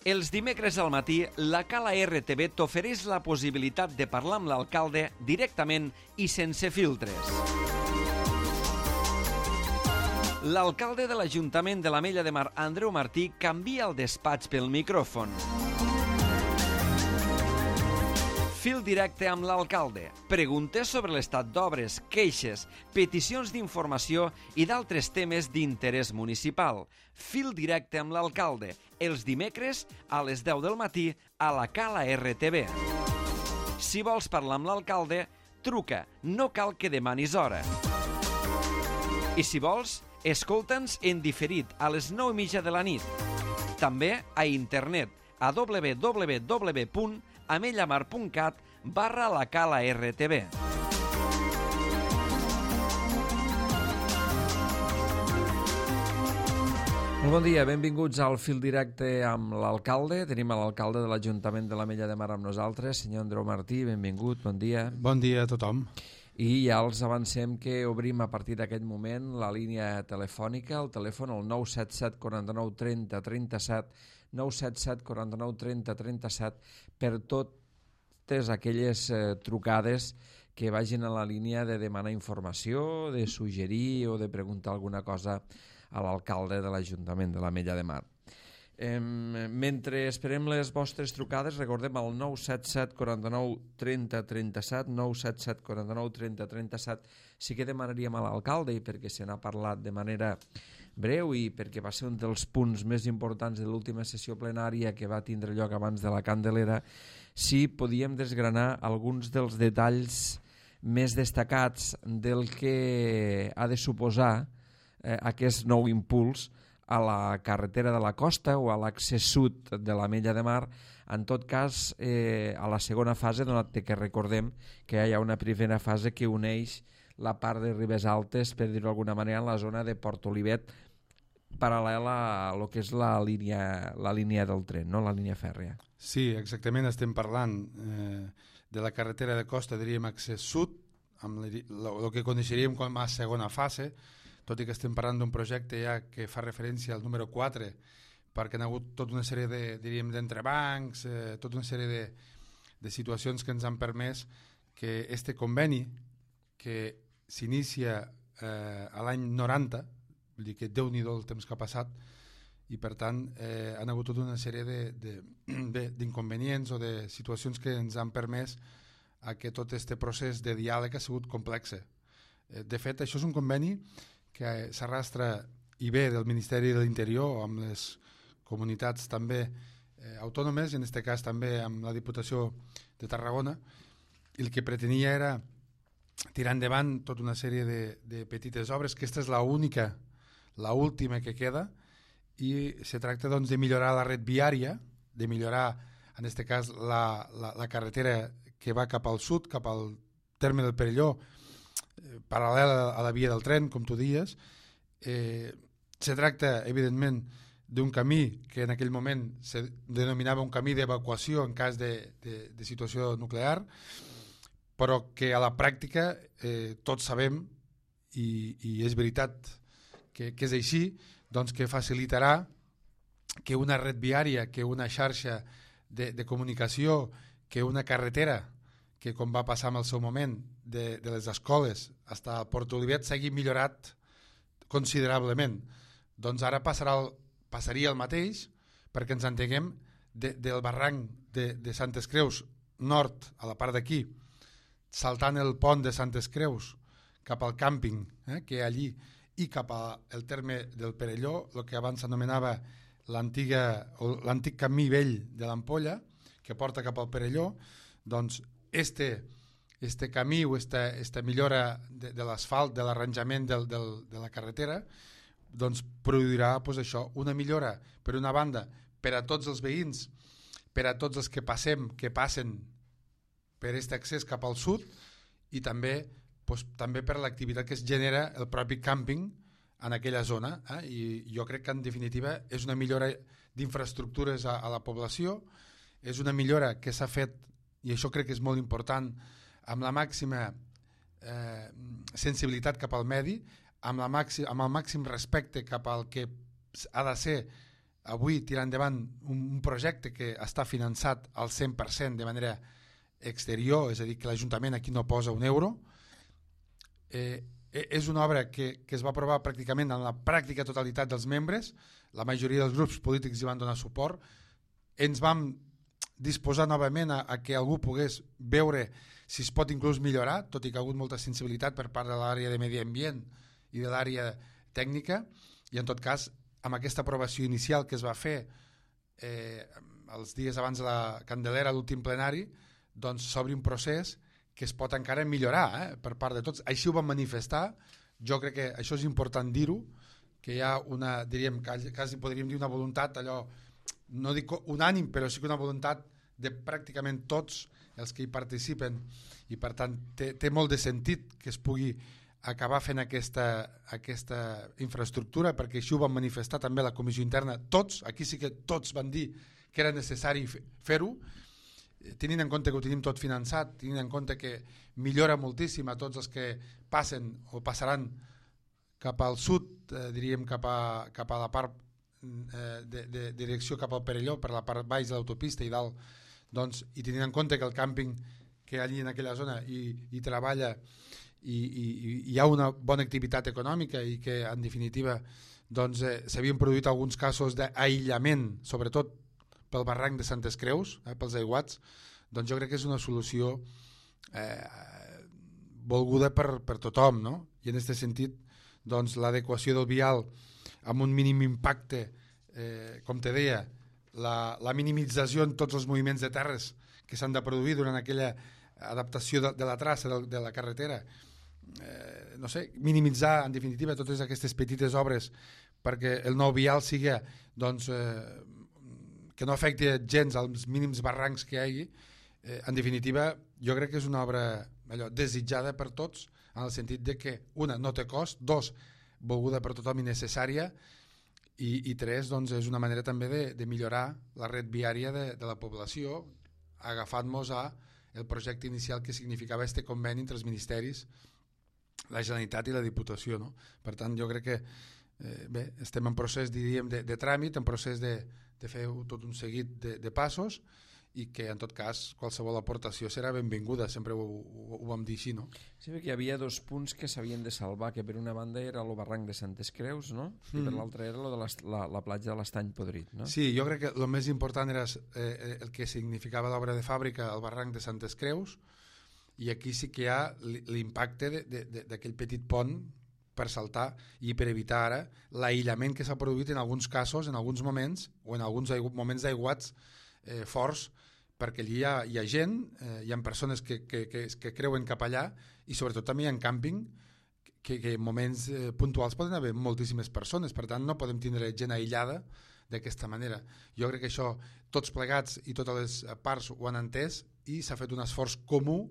Els dimecres al matí, la Cala RTV t'ofereix la possibilitat de parlar amb l'alcalde directament i sense filtres. L'alcalde de l'Ajuntament de l'Ametlla de Mar, Andreu Martí, canvia el despatx pel micròfon. Fil directe amb l'alcalde. Preguntes sobre l'estat d'obres, queixes, peticions d'informació i d'altres temes d'interès municipal. Fil directe amb l'alcalde. Els dimecres a les 10 del matí a la Cala RTV. Si vols parlar amb l'alcalde, truca. No cal que demanis hora. I si vols, escolta'ns en diferit a les 9:30 de la nit. També a internet a www.amellamar.cat/la Cala RTV. Molt bon dia, benvinguts al Fil Directe amb l'alcalde. Tenim a l'alcalde de l'Ajuntament de l'Ametlla de Mar amb nosaltres, senyor Andreu Martí, benvingut, bon dia. Bon dia a tothom. I ja els avancem que obrim a partir d'aquest moment la línia telefònica, el telèfon el 977 49 30 37, 977 49 30 37, per totes aquelles trucades que vagin a la línia de demanar informació, de suggerir o de preguntar alguna cosa a l'alcalde de l'Ajuntament de l'Ametlla de Mar. Mentre esperem les vostres trucades, recordem el 977 49 30 37, 977 49 30 37. Sí que demanaríem a l'alcalde, i perquè se n'ha parlat de manera breu i perquè va ser un dels punts més importants de l'última sessió plenària que va tindre lloc abans de la Candelera, si podíem desgranar alguns dels detalls més destacats del que ha de suposar aquest nou impuls a la carretera de la costa o a l'accés sud de l'Ametlla de Mar. En tot cas, a la segona fase, donat que recordem que hi ha una primera fase que uneix la part de Ribes Altes, per dir-ho d'alguna manera, en la zona de Port Olivet, paral·lela a lo que és la línia del tren, no? La línia fèrria. Sí, exactament, estem parlant de la carretera de costa, diríem accés sud, amb el que coneixeríem com a segona fase, tot i que estem parlant d'un projecte ja que fa referència al número 4, perquè hi ha hagut tota una sèrie d'entrebancs, tota una sèrie de situacions que ens han permès que este conveni, que s'inicia a l'any 90, vull dir que Déu-n'hi-do el temps que ha passat, i per tant han hagut tota una sèrie d'inconvenients o de situacions que ens han permès a que tot aquest procés de diàleg ha sigut complex. De fet, això és un conveni que s'arrastra i ve del Ministeri de l'Interior amb les comunitats també autònomes, i en aquest cas també amb la Diputació de Tarragona, i el que pretenia era tirar endavant tota una sèrie de petites obres, que aquesta és l'última que queda, i se tracta doncs, de millorar la red viària, de millorar en aquest cas la carretera que va cap al sud, cap al terme del Perelló, paral·lel a la via del tren, com tu dies. Se tracta, evidentment, d'un camí que en aquell moment se denominava un camí d'evacuació en cas de situació nuclear, però que a la pràctica tots sabem, i és veritat que és així, doncs que facilitarà que una red viària, que una xarxa de comunicació, que una carretera, que com va passar en el seu moment de les escoles fins a Port Olivet s'hagi millorat considerablement. Doncs ara passaria el mateix, perquè ens entenguem, del barranc de Santes Creus nord, a la part d'aquí, saltant el pont de Santes Creus cap al càmping que hi ha allí, i cap al terme del Perelló, el que abans s'anomenava l'antic camí vell de l'Ampolla, que porta cap al Perelló. Doncs este camí o esta millora de l'asfalt, de l'arranjament de la carretera, doncs produirà això, una millora, per una banda, per a tots els veïns, per a tots els que passen per aquest accés cap al sud, i també per l'activitat que es genera el propi càmping en aquella zona. I jo crec que en definitiva és una millora d'infraestructures a la població, és una millora que s'ha fet, i això crec que és molt important, amb la màxima sensibilitat cap al medi, amb el màxim respecte cap al que ha de ser avui tirar endavant un projecte que està finançat al 100% de manera exterior, és a dir, que l'Ajuntament aquí no posa un euro, és una obra que es va aprovar pràcticament en la pràctica totalitat dels membres, la majoria dels grups polítics hi van donar suport, ens vam disposar novament a que algú pogués veure si es pot inclús millorar, tot i que ha hagut molta sensibilitat per part de l'àrea de medi ambient i de l'àrea tècnica, i en tot cas amb aquesta aprovació inicial que es va fer els dies abans de la Candelera, l'últim plenari, doncs s'obri un procés que es pot encara millorar per part de tots. Així ho vam manifestar, jo crec que això és important dir-ho, que hi ha una, diríem, quasi podríem dir una voluntat, allò, no dic unànim, però sí que una voluntat de pràcticament tots els que hi participen, i per tant té molt de sentit que es pugui acabar fent aquesta infraestructura, perquè així ho van manifestar també la comissió interna, tots, aquí sí que tots van dir que era necessari fer-ho, tenint en compte que ho tenim tot finançat, tenint en compte que millora moltíssim a tots els que passen o passaran cap al sud, diríem cap a la part de direcció cap al Perelló, per la part baix de l'autopista i dalt, doncs, i tenint en compte que el càmping que allí en aquella zona hi treballa i hi ha una bona activitat econòmica i que en definitiva doncs, s'havien produït alguns casos d'aïllament, sobretot pel barranc de Santes Creus, pels aiguats, doncs jo crec que és una solució volguda per tothom, no? I en aquest sentit doncs, l'adequació del vial amb un mínim impacte, com te deia, la minimització en tots els moviments de terres que s'han de produir durant aquella adaptació de la traça de la carretera, no sé, minimitzar en definitiva totes aquestes petites obres perquè el nou vial sigui doncs, que no afecti gens als mínims barrancs que hi hagi. En definitiva, jo crec que és una obra desitjada per tots, en el sentit de que, una, no té cost, dos, volguda per tothom i necessària, i tres, doncs, és una manera també de millorar la red viària de la població, agafant-nos el projecte inicial que significava este conveni entre els ministeris, la Generalitat i la Diputació, no? Per tant, jo crec que bé, estem en procés, diríem, de tràmit, en procés de fer tot un seguit de passos, i que en tot cas qualsevol aportació serà benvinguda, sempre ho vam dir així, no? Sí, perquè hi havia dos punts que s'havien de salvar, que per una banda era el barranc de Santes Creus, no? I per l'altra era lo de la platja de l'Estany Podrit, no? Sí, jo crec que el més important era el que significava l'obra de fàbrica, el barranc de Santes Creus, i aquí sí que hi ha l'impacte d'aquell petit pont per saltar i per evitar ara l'aïllament que s'ha produït en alguns casos, en alguns moments, o en alguns moments d'aiguats forts, perquè allí hi ha gent, hi ha persones que creuen cap allà, i sobretot també hi ha càmping que en moments puntuals poden haver moltíssimes persones, per tant no podem tindre gent aïllada d'aquesta manera. Jo crec que això tots plegats i totes les parts ho han entès, i s'ha fet un esforç comú,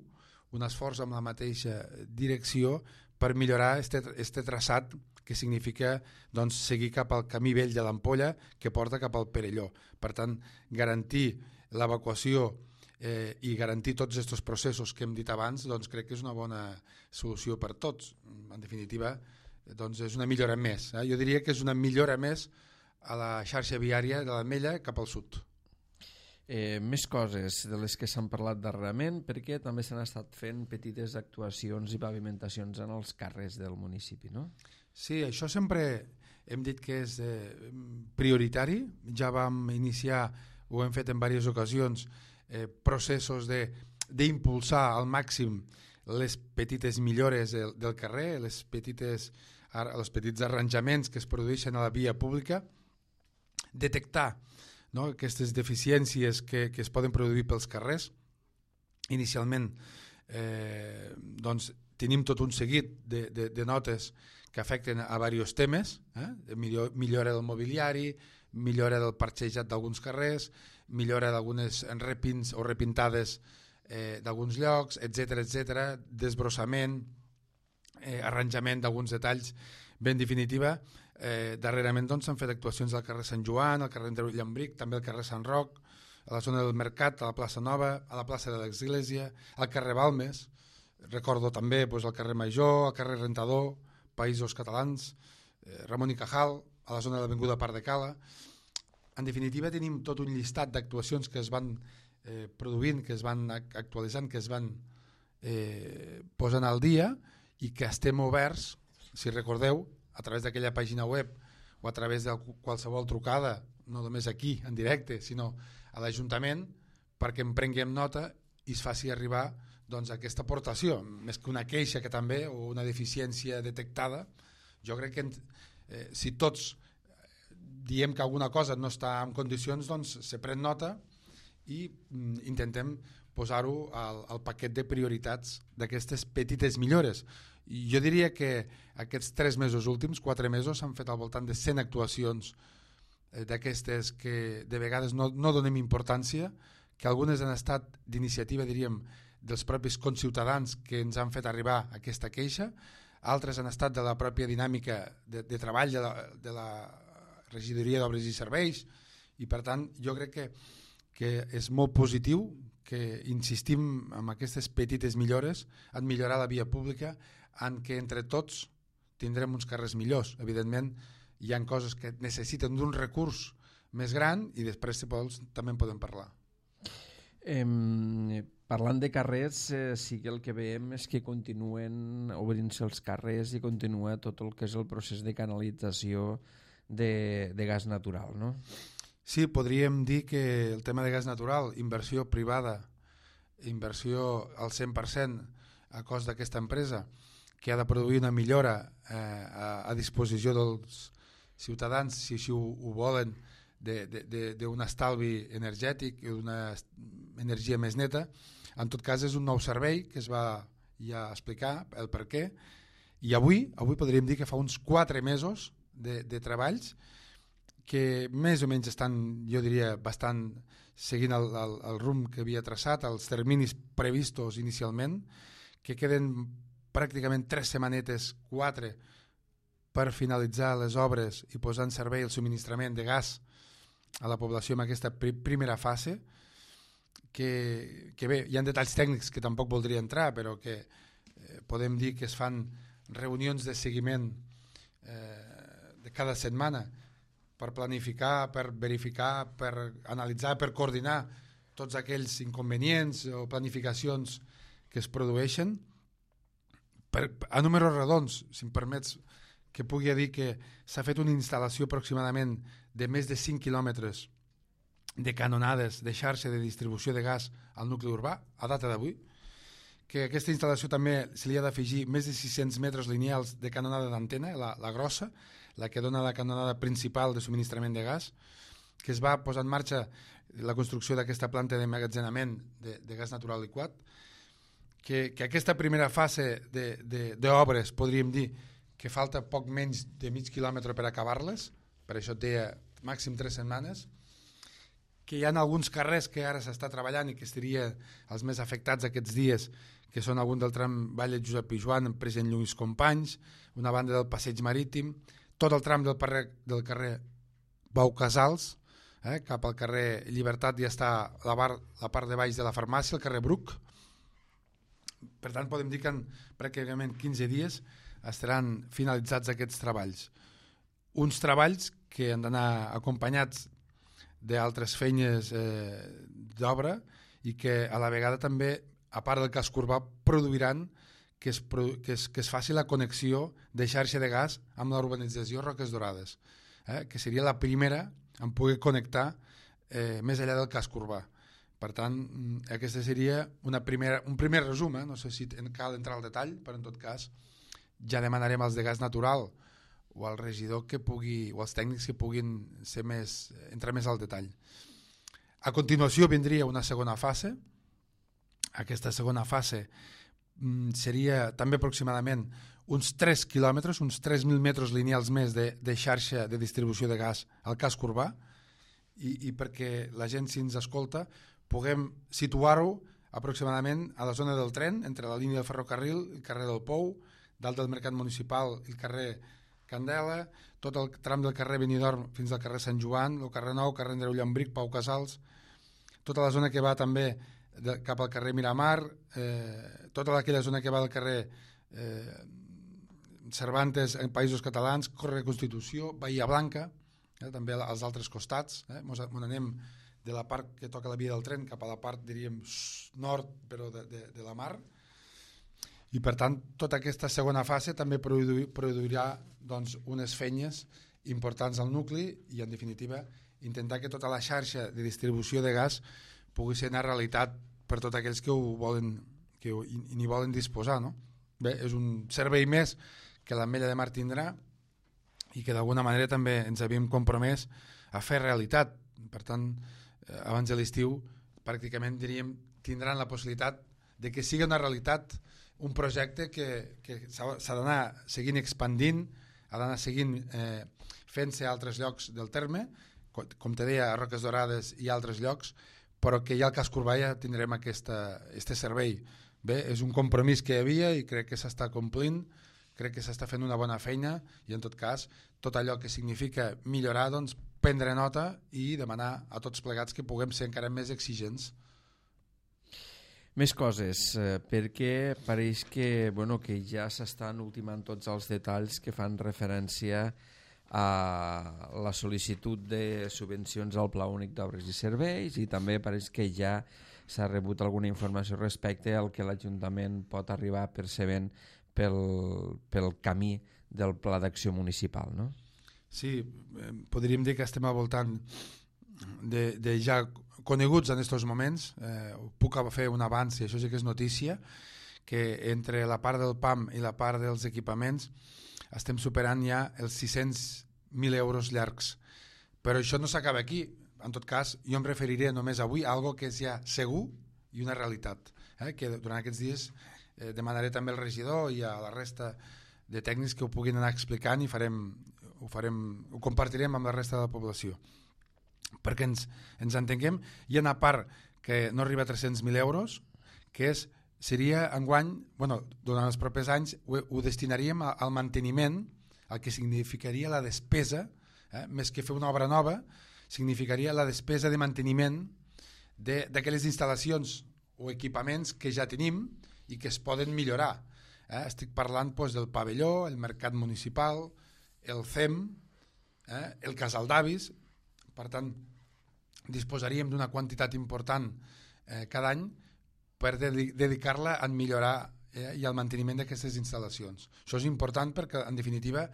un esforç amb la mateixa direcció per millorar este traçat que significa doncs, seguir cap al camí vell de l'Ampolla que porta cap al Perelló. Per tant, garantir l'evacuació i garantir tots aquests processos que hem dit abans, doncs crec que és una bona solució per tots. En definitiva, doncs és una millora més. Jo diria que és una millora més a la xarxa viària de l'Ametlla cap al sud. Més coses de les que s'han parlat darrerament, perquè també s'han estat fent petites actuacions i pavimentacions en els carrers del municipi, no? Sí, això sempre hem dit que és prioritari. Ja vam iniciar, ho hem fet en diverses ocasions, processos d'impulsar al màxim les petites millores del carrer, els petits arranjaments que es produeixen a la via pública, detectar, no, aquestes deficiències que es poden produir pels carrers. Inicialment doncs, tenim tot un seguit de notes que afecten a diversos temes, millora del mobiliari, millora del parxejat d'alguns carrers, millora d'algunes repins o repintades d'alguns llocs, etc, desbrossament, arranjament d'alguns detalls. Ben definitiva, darrerament s'han fet actuacions al carrer Sant Joan, al carrer Andreu Llambric, també al carrer Sant Roc, a la zona del Mercat, a la plaça Nova, a la plaça de l'Església, al carrer Balmes, recordo també al carrer Major, al carrer Rentador, Països Catalans, Ramon i Cajal, a la zona de l'Avinguda Parc de Cala. En definitiva, tenim tot un llistat d'actuacions que es van produint, que es van actualitzant, que es van posant al dia i que estem oberts, si recordeu, a través d'aquella pàgina web o a través de qualsevol trucada, no només aquí en directe, sinó a l'Ajuntament, perquè en prenguem nota i es faci arribar doncs, aquesta aportació, més que una queixa que també o una deficiència detectada. Jo crec que si tots diem que alguna cosa no està en condicions, doncs se pren nota i intentem posar-ho al paquet de prioritats d'aquestes petites millores. I jo diria que aquests 3 mesos últims, 4 mesos, s'han fet al voltant de 100 actuacions d'aquestes que de vegades no donem importància, que algunes han estat d'iniciativa, diríem, dels propis conciutadans que ens han fet arribar aquesta queixa, altres han estat de la pròpia dinàmica de treball de la Regidoria d'Obres i Serveis, i per tant jo crec que és molt positiu que insistim en aquestes petites millores, en millorar la via pública, en què entre tots tindrem uns carrers millors. Evidentment, hi ha coses que necessiten d'un recurs més gran i després, si vols, també en podem parlar. Parlant de carrers, sí que el que veiem és que continuen obrint-se els carrers i continua tot el que és el procés de canalització de gas natural, no? Sí, podríem dir que el tema de gas natural, inversió privada, inversió al 100% a cost d'aquesta empresa, que ha de produir una millora a disposició dels ciutadans, si així ho volen, d'un estalvi energètic i d'una energia més neta. En tot cas, és un nou servei que es va ja explicar el per què, i avui podríem dir que fa uns 4 mesos de treballs que més o menys estan, jo diria, bastant seguint el rumb que havia traçat, els terminis previstos inicialment, que queden pràcticament 3 setmanetes, 4, per finalitzar les obres i posar en servei el subministrament de gas a la població en aquesta primera fase, que bé, hi ha detalls tècnics que tampoc voldria entrar, però que podem dir que es fan reunions de seguiment de cada setmana per planificar, per verificar, per analitzar, per coordinar tots aquells inconvenients o planificacions que es produeixen. A números redons, si em permets que pugui dir que s'ha fet una instal·lació aproximadament de més de 5 quilòmetres de canonades de xarxa de distribució de gas al nucli urbà, a data d'avui, que a aquesta instal·lació també se li ha d'afegir més de 600 metres lineals de canonada d'antena, la grossa, la que dona la canonada principal de subministrament de gas, que es va posar en marxa la construcció d'aquesta planta d'emmagatzenament de gas natural liquat, que aquesta primera fase d'obres podríem dir que falta poc menys de mig quilòmetre per acabar-les, per això et deia màxim 3 setmanes, que hi ha alguns carrers que ara s'està treballant i que estarien els més afectats aquests dies, que són algun del tram Vall de Josep Pijuan, Present Lluís Companys, una banda del Passeig Marítim, tot el tram del carrer Pau Casals, cap al carrer Llibertat ja està la part de baix de la farmàcia, el carrer Bruc. Per tant, podem dir que en pràcticament 15 dies estaran finalitzats aquests treballs. Uns treballs que han d'anar acompanyats d'altres feines d'obra i que a la vegada també, a part del casc urbà, produiran que es faci la connexió de xarxa de gas amb la urbanització Roques Dorades, que seria la primera en poder connectar més enllà del casc urbà. Per tant, aquesta seria un primer resum, no sé si cal entrar al detall, però en tot cas ja demanarem als de gas natural o al regidor o als tècnics que puguin entrar més al detall. A continuació vindria una segona fase. Aquesta segona fase seria també aproximadament uns 3 quilòmetres, uns 3.000 metres lineals més de xarxa de distribució de gas al casc urbà, i perquè la gent, si ens escolta, puguem situar-ho aproximadament a la zona del tren, entre la línia del ferrocarril, el carrer del Pou, dalt del Mercat Municipal, el carrer Candela, tot el tram del carrer Benidorm fins al carrer Sant Joan, el carrer Nou, carrer Andreu Llambric, Pau Casals, tota la zona que va també cap al carrer Miramar, tota aquella zona que va del carrer Cervantes en Països Catalans, carrer Constitució, Bahia Blanca, també als altres costats. Ens anem de la part que toca la via del tren cap a la part, diríem, nord, però de la mar. I per tant, tota aquesta segona fase també produirà doncs, unes feines importants al nucli i, en definitiva, intentar que tota la xarxa de distribució de gas pugui ser una realitat per tots aquells que n'hi volen disposar. No? Bé, és un servei més que l'Ametlla de Mar tindrà i que d'alguna manera també ens havíem compromès a fer realitat. Per tant, abans de l'estiu, pràcticament diríem, tindran la possibilitat de que sigui una realitat, un projecte que s'ha d'anar seguint expandint, ha d'anar seguint fent-se a altres llocs del terme, com te deia, a Roques Dorades i altres llocs, però que ja al Cas Corbà ja tindrem aquest servei. Bé, és un compromís que hi havia i crec que s'està complint, crec que s'està fent una bona feina i, en tot cas, tot allò que significa millorar, doncs, prendre nota i demanar a tots plegats que puguem ser encara més exigents. Més coses, perquè pareix que ja s'estan ultimant tots els detalls que fan referència a la sol·licitud de subvencions al Pla Únic d'Obres i Serveis i també pareix que ja s'ha rebut alguna informació respecte al que l'Ajuntament pot arribar percebent pel camí del Pla d'Acció Municipal, no? Sí, podríem dir que estem al voltant de ja coneguts en aquests moments. Puc fer un avanç, i això sí que és notícia, que entre la part del PAM i la part dels equipaments estem superant ja els 600.000 euros llargs. Però això no s'acaba aquí. En tot cas, jo em referiré només avui a algo que és ja segur i una realitat, que durant aquests dies demanaré també al regidor i a la resta de tècnics que ho puguin anar explicant i ho compartirem amb la resta de la població. Perquè ens entenguem, hi ha una part que no arriba a 300.000 euros, que seria enguany, durant els propers anys, ho destinaríem al manteniment, el que significaria la despesa, més que fer una obra nova, significaria la despesa de manteniment d'aquelles instal·lacions o equipaments que ja tenim i que es poden millorar. Estic parlant del pavelló, el mercat municipal, el CEM, el casal d'avis. Per tant, disposaríem d'una quantitat important cada any per dedicar-la a millorar i al manteniment d'aquestes instal·lacions. Això és important perquè, en definitiva,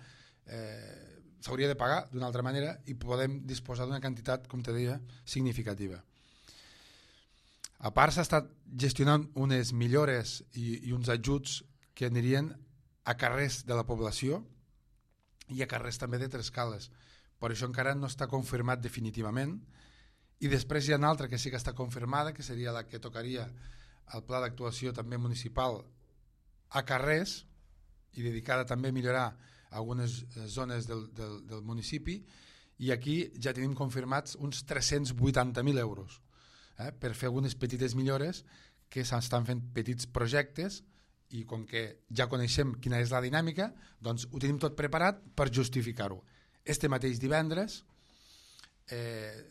s'hauria de pagar d'una altra manera i podem disposar d'una quantitat, com te deia, significativa. A part, s'ha estat gestionant unes millores i uns ajuts que anirien a carrers de la població i a carrers també de Trescales. Per això encara no està confirmat definitivament. I després hi ha una altra que sí que està confirmada, que seria la que tocaria al pla d'actuació també municipal a carrers i dedicada també a millorar algunes zones del municipi, i aquí ja tenim confirmats uns 380.000 euros per fer algunes petites millores que s'estan fent petits projectes, i com que ja coneixem quina és la dinàmica, doncs ho tenim tot preparat per justificar-ho. Este mateix divendres,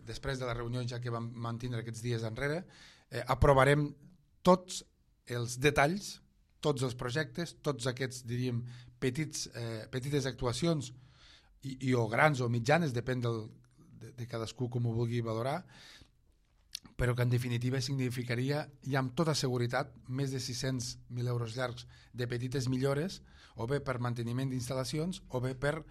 després de la reunió ja que vam mantindre aquests dies enrere, aprovarem tots els detalls, tots els projectes, tots aquests, diríem, petites actuacions o grans o mitjanes, depèn de cadascú com ho vulgui valorar, però que en definitiva significaria ja amb tota seguretat més de 600.000 euros llargs de petites millores, o bé per manteniment d'instal·lacions o bé per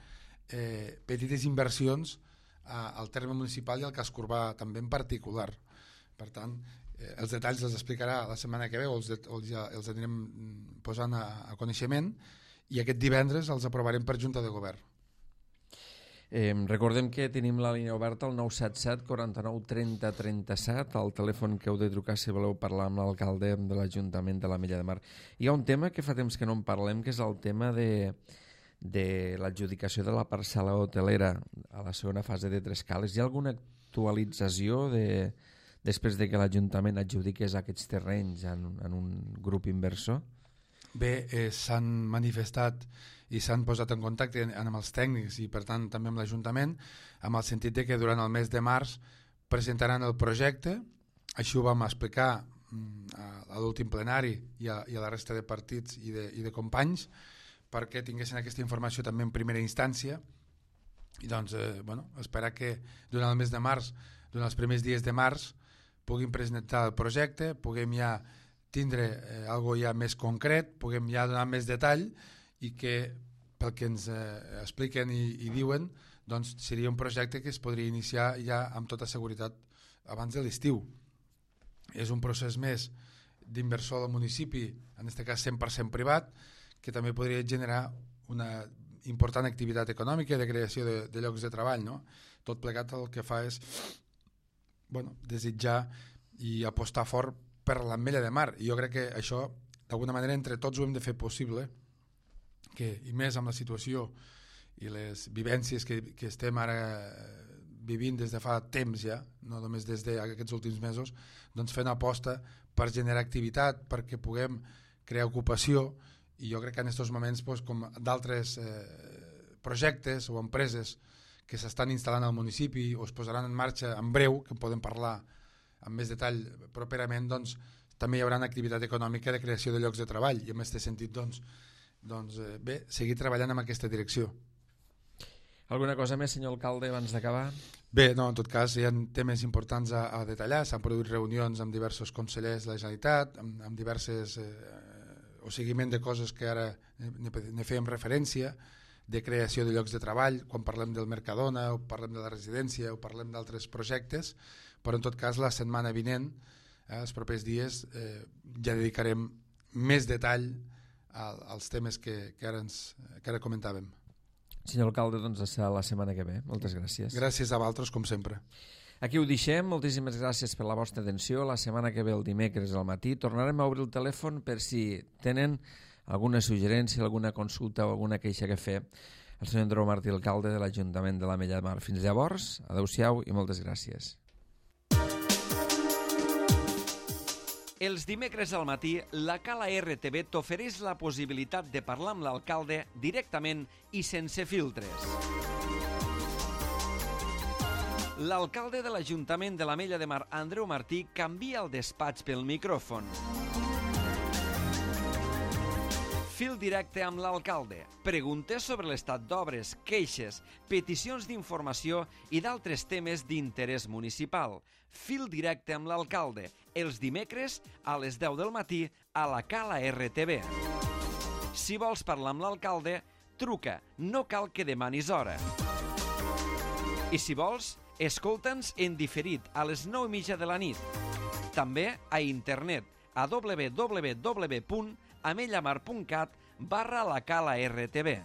petites inversions al terme municipal i al Cas Corbà també en particular. Per tant, els detalls els explicarà la setmana que ve o els anirem posant a coneixement, i aquest divendres els aprovarem per Junta de Govern. Recordem que tenim la línia oberta al 977 49 30 37, el telèfon que heu de trucar si voleu parlar amb l'alcalde de l'Ajuntament de l'Ametlla de Mar. Hi ha un tema que fa temps que no en parlem, que és el tema de l'adjudicació de la parcel·la hotelera a la segona fase de Trescales. Hi ha alguna actualització després de que l'Ajuntament adjudiqués aquests terrenys en un grup inversor? Bé, s'han manifestat i s'han posat en contacte amb els tècnics i per tant també amb l'Ajuntament, amb el sentit de que durant el mes de març presentaran el projecte. Així ho vam explicar a l'últim plenari i a la resta de partits i de companys, perquè tinguessin aquesta informació també en primera instància I doncs, esperar que durant el mes de març, durant els primers dies de març, puguem presentar el projecte, puguem ja tindre algo ja més concret, puguem ja donar més detall i que, pel que ens expliquen i diuen, doncs seria un projecte que es podria iniciar ja amb tota seguretat abans de l'estiu. És un procés més d'inversor del municipi, en aquest cas 100% privat, que també podria generar una important activitat econòmica de creació de llocs de treball, no? Tot plegat el que fa és desitjar i apostar fort per l'Ametlla de Mar, i jo crec que això d'alguna manera entre tots ho hem de fer possible, i més amb la situació i les vivències que estem ara vivint des de fa temps ja, no només des d'aquests últims mesos, doncs fer una aposta per generar activitat, perquè puguem crear ocupació, i jo crec que en aquests moments, com d'altres projectes o empreses que s'estan instal·lant al municipi o es posaran en marxa en breu, que en podem parlar amb més detall properament, doncs també hi haurà una activitat econòmica de creació de llocs de treball, i en aquest sentit seguir treballant en aquesta direcció. Alguna cosa més, senyor alcalde, abans d'acabar? Bé, no, en tot cas hi ha temes importants a detallar. S'han produït reunions amb diversos consellers de la Generalitat, amb diverses o seguiment de coses que ara ne fèiem referència, de creació de llocs de treball, quan parlem del Mercadona o parlem de la residència o parlem d'altres projectes, però en tot cas la setmana vinent, els propers dies, ja dedicarem més detall als temes que ara comentàvem. Senyor alcalde, doncs serà la setmana que ve. Moltes gràcies. Gràcies a vosaltres, com sempre. Aquí ho deixem. Moltíssimes gràcies per la vostra atenció. La setmana que ve, el dimecres al matí, tornarem a obrir el telèfon per si tenen alguna suggerència, alguna consulta o alguna queixa que fer el senyor Andreu Martí, alcalde de l'Ajuntament de l'Ametlla de Mar. Fins llavors, adeu-siau i moltes gràcies. Els dimecres al matí, la Cala RTV t'ofereix la possibilitat de parlar amb l'alcalde directament i sense filtres. L'alcalde de l'Ajuntament de l'Ametlla de Mar, Andreu Martí, canvia el despatx pel micròfon. Fil directe amb l'alcalde. Preguntes sobre l'estat d'obres, queixes, peticions d'informació i d'altres temes d'interès municipal. Fil directe amb l'alcalde. Els dimecres a les 10 del matí a la Cala RTV. Si vols parlar amb l'alcalde, truca, no cal que demanis hora. I si vols, escolta'ns en diferit a les 9:30 de la nit. També a internet a www.amellamar.cat/la Cala RTV.